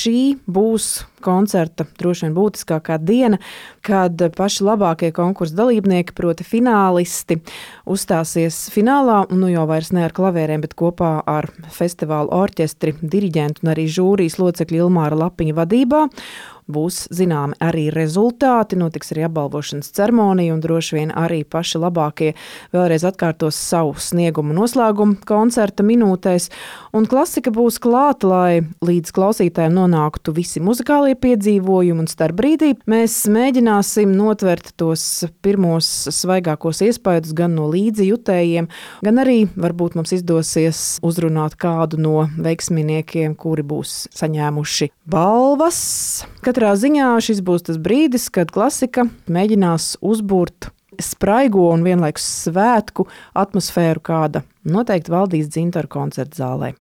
šī būs koncerta droši vien būtiskākā diena, kad paši labākie konkursa dalībnieki, proti finālisti, uzstāsies finālā, un jau vairs ne ar klavierēm, bet kopā ar festivālu orķestri, diriģentu un arī žūrijas locekļu Ilmāra Lapiņa vadībā. Būs zināmi arī rezultāti, notiks arī apbalvošanas ceremonija un droši vien arī paši labākie vēlreiz atkārtos savu sniegumu noslēgumu koncerta minūtēs. Un klasika būs klāta, lai līdz klausītājiem nonāktu visi muzikālie piedzīvojumi, un starp brīdī mēs mēģināsim notvert tos pirmos svaigākos iespaidus gan no līdzjutējiem, gan arī varbūt mums izdosies uzrunāt kādu no veiksminiekiem, kuri būs saņēmuši balvas. Katrā ziņā šis būs tas brīdis, kad klasika mēģinās uzbūrt spraigo un vienlaikus svētku atmosfēru, kāda noteikti valdīs Dzintaru koncerta zālē.